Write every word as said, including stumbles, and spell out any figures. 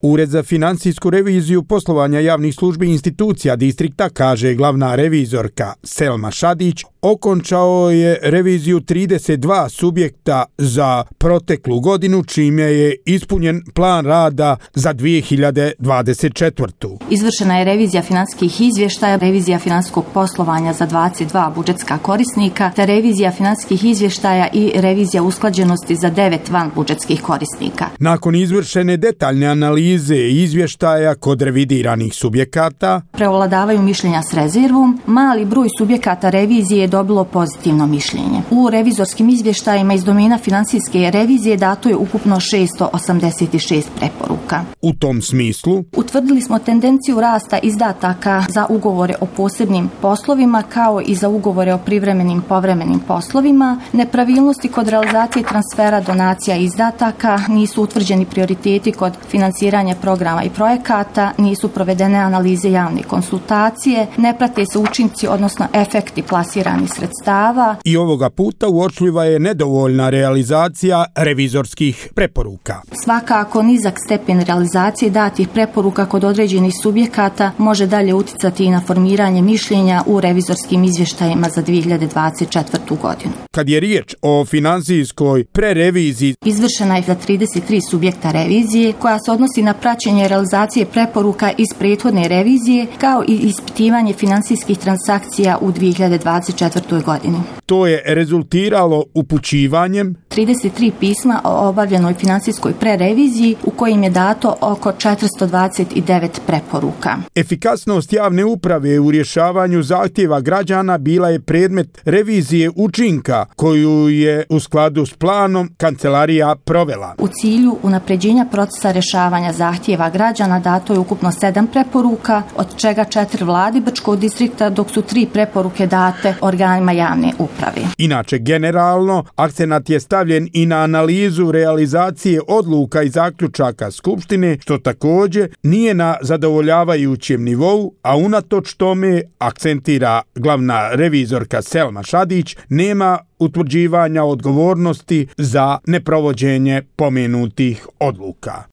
Ured za financijsku reviziju poslovanja javnih službi i institucija distrikta, kaže glavna revizorka Selma Šadić, okončao je reviziju trideset dva subjekta za proteklu godinu, čime je ispunjen plan rada za dvije hiljade dvadeset četvrtu. Izvršena je revizija financijskih izvještaja, revizija financijskog poslovanja za dvadeset dva budžetska korisnika, te revizija financijskih izvještaja i revizija usklađenosti za devet van budžetskih korisnika. Nakon izvršene detaljne analize i izvještaja kod revidiranih subjekata, prevladavaju mišljenja s rezervom, mali broj subjekata revizije je dobilo pozitivno mišljenje. U revizorskim izvještajima iz domena financijske revizije dato je ukupno šesto osamdeset šest preporuka. U tom smislu, utvrdili smo tendenciju rasta izdataka za ugovore o posebnim poslovima kao i za ugovore o privremenim povremenim poslovima. Nepravilnosti kod realizacije transfera, donacija i izdataka, nisu utvrđeni prioriteti kod financiranja programa i projekata, nisu provedene analize javne konsultacije, ne prate se učinci, odnosno efekti plasiranih sredstava. I ovoga puta uočljiva je nedovoljna realizacija revizorskih preporuka. Svakako nizak stepen realizacije datih preporuka kod određenih subjekata može dalje uticati i na formiranje mišljenja u revizorskim izvještajima za dvije hiljade dvadeset četvrtu godinu. Kad je riječ o financijskoj prereviziji, izvršena je za trideset tri subjekta revizije koja se odnosi na praćenje realizacije preporuka iz prethodne revizije kao i ispitivanje financijskih transakcija u dvije hiljade dvadeset četvrtoj godini. To je rezultiralo upućivanjem trideset tri pisma o obavljenoj financijskoj prereviziji u kojim je dato oko četiristo dvadeset devet preporuka. Efikasnost javne uprave u rješavanju zahtjeva građana bila je predmet revizije učinka koju je u skladu s planom kancelarija provela. U cilju unapređenja procesa rješavanja zahtjeva građana dato je ukupno sedam preporuka, od čega četiri vladi Brčkog distrikta, dok su tri preporuke date organima javne uprave. Inače, generalno, akcenat je stavljen i na analizu realizacije odluka i zaključaka Skupštine, što također nije na zadovoljavajućem nivou, a unatoč tome, akcentira glavna revizorka Selma Šadić, nema utvrđivanja odgovornosti za neprovođenje pomenutih odluka.